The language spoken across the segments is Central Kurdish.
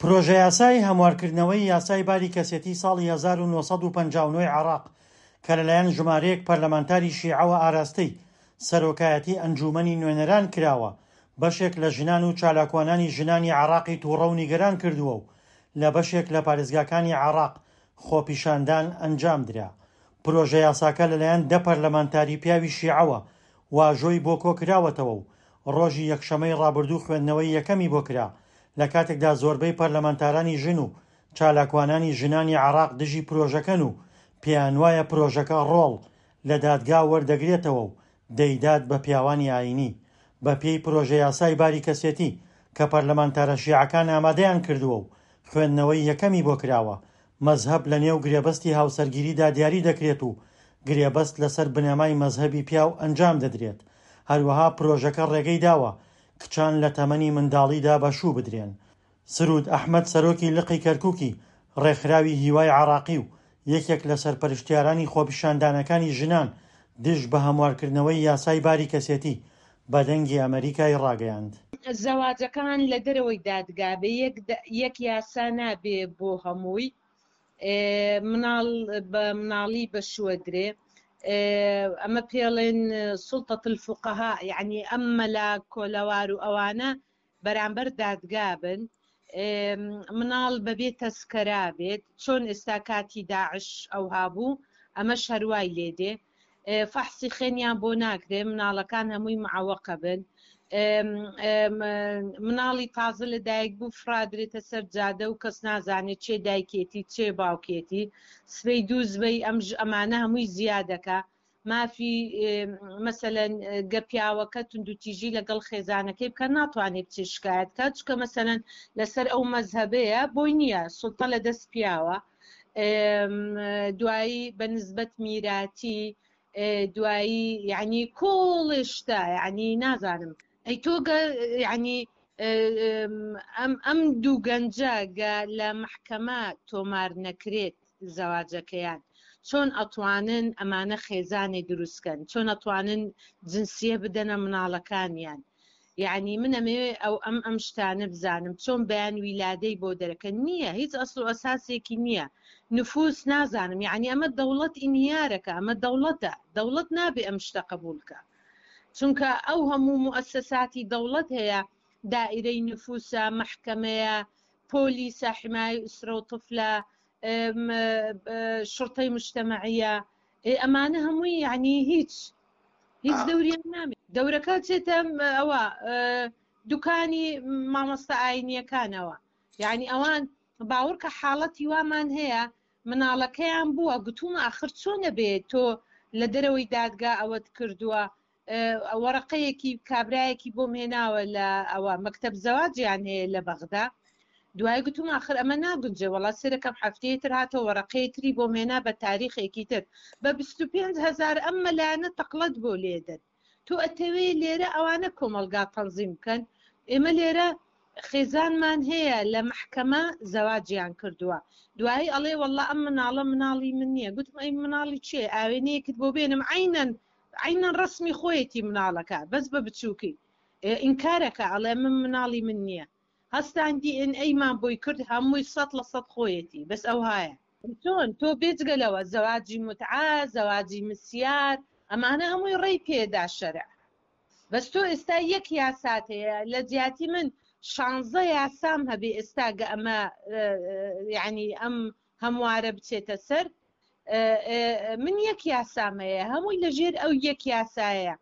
پرۆژەیاسای هەموارکردنەوەی یاسای باری کەسێتی ساڵی 1959 ی عێراق کە لەلایەن ژمارەیەک پەرلەمانتاری شیعەوە ئاراستەی سەرۆکایەتی ئەنجوومەنی نوێنەران کراوە، بەشێک لە ژنان و چالاکوانانی ژنانی عێراقی تووڕە و نیگەران کردووە و لە بەشێک لە پارێزگاکانی عێراق خۆپیشاندان ئەنجامدرا. پرۆژەیاساکە لەلایەن دە پەرلەمانتاری پیاوی شیعەوە واژۆی بۆ کۆکراوەتەوە و ڕۆژی یەکشەمەی ڕابردوو خوێندنەوەی یەکەمی بۆ کرا، لە کاتێکدا زۆربەی پەرلەمانتارانی ژن و چالاکوانانی ژنانی عێراق دژی پرۆژەکەن و پێیانوایە پرۆژەکە ڕۆڵ لە دادگا وەردەگرێتەوە و دەیدات بە پیاوانی ئایینی. بەپێی پرۆژەیاسای باری کەسێتی کە پەرلەمانتارە شیعەکان ئامادەیان کردووە و خوێندنەوەی یەکەمی بۆ کراوە، مەزهەب لەنێو گرێبەستی هاوسەرگیریدا دیاری دەکرێت و گرێبەست لەسەر بنەمای مەزهەبی پیاو ئەنجام دەدرێت، هەروەها پرۆژەکە ڕێگەی داوە کچان لە تەمەنی منداڵیدا بە شوو بدرێن. سرود ئەحمەد سەرۆکی لقی کەرکوکی ڕێکخراوی هیوای عێراقی و یەکێک لە سەرپەرشتیارانی خۆپیشاندانەکانی ژنان دژ بە هەموارکردنەوەی یاسای باری کەسێتی بە دەنگی ئەمەریکای ڕاگەیاند. زەواجەکان لە دەرەوەی دادگا بێ یەک یاسا نابێ بۆ هەمووی مناڵ بە مناڵی بە شووە درێ ئەمە پێڵێن سوڵتە الفقهاء یعنی ئەم مەلا کۆلەوار و ئەوانە بەرامبەر دادگا بن مناڵ بەبێ تەسکەرا بێت چۆن ئێستا کاتی داعش ئەوها بوو ئەمەش هەروای لێ دێ فەحسی خوێنیان بۆ ناکرێ مناڵەکان هەمووی معەوەقە بن مناڵی تازە لە دایک بوو فرادرێتە سەر جادە و کەس نازانێت چێ دایکێتی چێ باوکێتی سبەی دوو زبەی ئەم ئەمانە هەمووی زیادەکە مافی مەسەلەن گە پیاوەکە توندوتیژی لەگەڵ خێزانەکەی بکە ناتوانێت بچێت شکایەت کات چکە مەسەلەن لەسەر ئەو مەزهەبەیە بۆی نییە سوڵتە لە دەست پیاوە دوایی بە نسبەت میراتی دوایی یعنی کۆڵێ شتە یعنی نازانم ئەی تۆ گە یعنی ئەم ئەم دوو گەنجە گە لە مەحکەمە تۆمار نەکرێت زەواجەکەیان چۆن ئەتوانن ئەمانە خێزانێ دروست کەن چۆن ئەتوانن جنسیە بدەنە مناڵەکانیان یعنی من ئەمەوێ ئەو ئەم ئەم شتانە بزانم چۆن بەیان ویلادەی بۆ دەرەکەن نییە هیچ ئەسڵ و ئەساسێکی نییە نفوس نازانم یعنی ئەمە دەوڵەت ئینهیارەکە ئەمە دەوڵەتە دەوڵەت نابێ ئەم شتە قبول کە چونکە ئەو هەموو موئەسەساتی دەوڵەت هەیە دائیرەی نفوسە مەحکەمەیە پۆلیسە حمایە ئوسرە و طفلە شرطەی مجتەمەعیە ئەمانە هەمووی یعنی هیچ هیچ دەوریان نامێ دەورەکە چێتە ئەوە دوکانی مامۆستا ئاینیەکانەوە یعنی ئەوان باوەڕکە حاڵەتی وامان هەیە مناڵەکەیان بووە گوتومە ئاخر چۆنە بێ تۆ لە دەرەوەی دادگا ئەوەت کردووە وەڕەقەیەکی کابرایەکی بۆم هێناوە لە ئەوە مەکتەب زەواجیان هەیە لە بەغدا دوای گوتم ئاخر ئەمە ناگونجێ وەڵا سێرەکەم هەفتەیە تر هاتەوە وەڕەقەیە تری بۆم هێنا بە تاریخێکی تر بە 25 هەزار ئەم مەلایانە تەقڵەت بۆ لێدەن تۆ ئەتەوێ لێرە ئەوانە کۆمەڵگا تەنزیم بکەن ئێمە لێرە خێزانمان هەیە لە مەحکەمە زەواجیان کردووە دوایی ئەڵێ واللە ئەم مناڵە مناڵی من نییە گوتم ئەی مناڵی چێ ئاوێنەیەکت بۆ بێنم عینەن عینەن ڕسمی خۆیەتی مناڵەکە بەس بە بچووکی ئینکارەکە ئەڵێ من مناڵی من نییە هەستان دی ئێن ئەیمان بۆی کرد هەمووی سەد لە سەد خۆیەتی بەس ئەوهایە چۆن تۆ بێجگە لەوە زەواجی متعە زەواجی مسیار ئەمانە هەمووی ڕێی پێدا شەرع بەس تۆ ئێستا یەک یاسات هەیە لە جیاتی من شانزە یاسام هەبێ ئێستا گە ئەمە یعنی ئەم هەموارە بچێتە سەر من یەک یاسام هەیە هەمووی لەژێر ئەو یەک یاسایە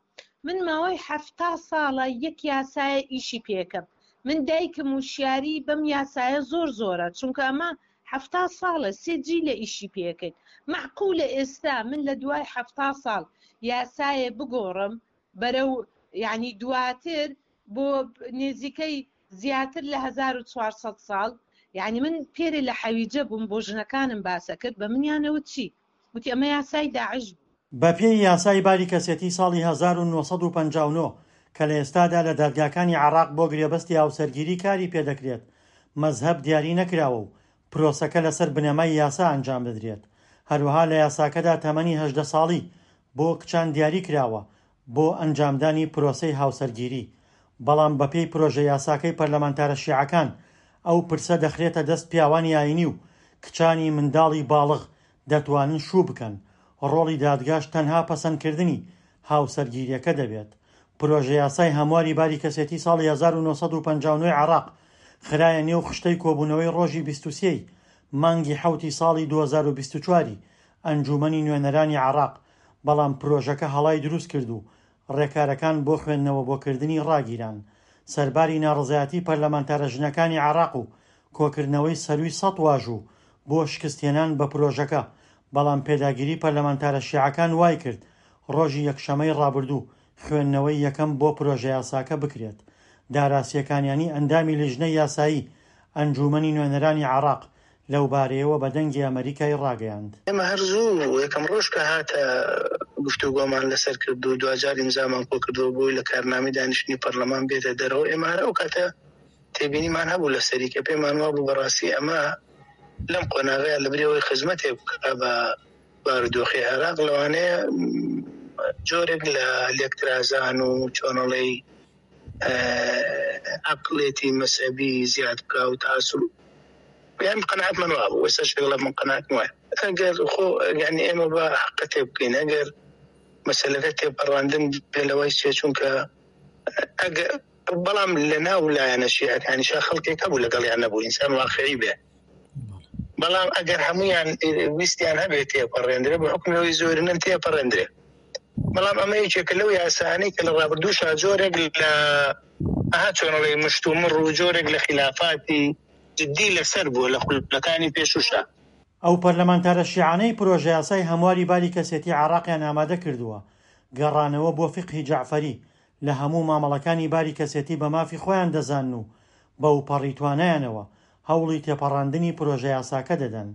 من ماوەی حەفتا ساڵە یەک یاسایە ئیشی پێکەم من دایکم وشیاری بەم یاسایە زۆر زۆرە چونکە ئەمە حەفتا ساڵە سێ جیلە ئیشی پێکەین مەعقولە ئێستا من لە دوای حەفتا ساڵ یاسایە بگۆڕم بەرەو یعنی دواتر بۆ نێزیکەی زیاتر لە 1400 ساڵ یعنی من پێرێ لە حەویجە بووم بۆ ژنەکانم باسە کرد بە منیانەوە چی وتی ئەمە یاسای داعش بوو. بەپێی یاسای باری کەسێتی ساڵی 1959 کە لە ئێستادا لە دادگاکانی عێراق بۆ گرێبەستی هاوسەرگیری کاری پێدەکرێت، مەزهەب دیاری نەکراوە و پرۆسەکە لەسەر بنەمای یاسا ئەنجام دەدرێت. هەروەها لە یاساکەدا تەمەنی 18 ساڵی بۆ کچان دیاری کراوە بۆ ئەنجامدانی پرۆسەی هاوسەرگیری، بەڵام بەپێی پرۆژە یاساکەی پەرلەمانتارە شیعەکان، ئەو پرسە دەخرێتە دەست پیاوانی ئایینی و کچانی منداڵی باڵغ دەتوانن شوو بکەن، ڕۆڵی دادگاش تەنها پەسەندکردنی هاوسەرگیرییەکە دەبێت. پرۆژەیاسای هەمواری باری کەسێتی ساڵی 1959 ی عێراق خرایە نێو خشتەی کۆبوونەوەی ڕۆژی 23 ی مانگی حەوتی ساڵی 2024 ی ئەنجوومەنی نوێنەرانی عێراق، بەڵام پرۆژەکە هەڵای دروستکرد و ڕێکارەکان بۆ خوێندنەوە بۆ کردنی ڕاگیران. سەرباری ناڕەزایەتی پەرلەمانتارە ژنەکانی عێراق و کۆکردنەوەی سەرووی سەد واژوو بۆ شکستهێنان بە پرۆژەکە، بەڵام پێداگیری پەرلەمانتارە شیعەکان وایکرد ڕۆژی یەکشەمەی ڕابردوو خوێندنەوەی یەکەم بۆ پرۆژەیاساکە بکرێت. دارا سێکانیانی ئەندامی لیژنەی یاسایی ئەنجوومەنی نوێنەرانی عێراق لەوبارەیەوە بە دەنگی ئەمەریکای ڕاگەیاند. ئێمە هەر زوو یەکەم ڕۆژ کە هاتە گفتوگۆمان لەسەر کرد و دواجار ئیمزامان کۆکردەوە بۆی لە کارنامەی دانیشتنی پەرلەمان بێتە دەرەوە، ئێمە هەر ئەو کاتە تێبینیمان هەبوو لەسەری کە پێمان وابوو بەڕاستی ئەمە لەم قۆناغەیە لەبری ئەوەی خزمەتێک بکا بە بارودۆخی عێراق لەوانەیە جۆرێک لە لێکترازان و چۆنەڵێی عەقڵێتی مەزهەبی زیاد بکا و تەعەسوب یان قەناعەتمان وابوو ئێستاش لەگەڵ من قەناعەتم وایە ئەگەر خۆ یانی ئێمە بە حەقە تێ بکەین ئەگەر مەسەلەکە تێپەڕاندن بێ لەوەی چێ چونکە ئەگەر بەڵام لە ناو لایەنە شیعەکانیشا خەڵکێک هەبوو لەگەڵیان نەبوو ئینسان واقعی بێ بەڵام ئەگەر هەمویان ویستیان هەبێت تێپەڕێندرێ بە حکومی ئەوەی زۆرینەن تێپەڕێندرێ بەڵام ئەمە یەکێکە لەو یاسانەی کە لە ڕابردووشا جۆرێک لە ئەها چۆنڵێ مشتومڕ و جۆرێک لە خلافاتی جدی لەسەر بووە لە خولەکانی پێشووشا. ئەو پەرلەمانتارە شیعانەی پرۆژەیاسای هەمواری باری کەسێتی عێراقیان ئامادە کردووە، گەڕانەوە بۆ فیقهی جەعفەری لە هەموو مامەڵەکانی باری کەسێتی بە مافی خۆیان دەزانن و بەوپەڕی توانایانەوە هەوڵی تێپەڕاندنی پرۆژەیاساکە دەدەن.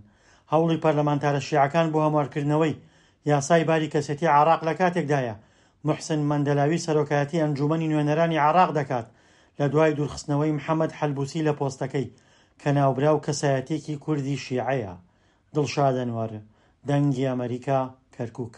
هەوڵی پەرلەمانتارە شیعەکان بۆ هەموارکردنەوەی یاسای باری کەسێتی عێراق لە کاتێکدایە موحسن مەندەلاوی سەرۆکایەتی ئەنجوومەنی نوێنەرانی عێراق دەکات لە دوای دوورخستنەوەی محەمەد حەلبوسی لە پۆستەکەی کە ناوبراو کەسایەتیەکی کوردی شیعەیە. دڵشاد ئەنوەر، دەنگی ئەمەریکا، کەرکوک.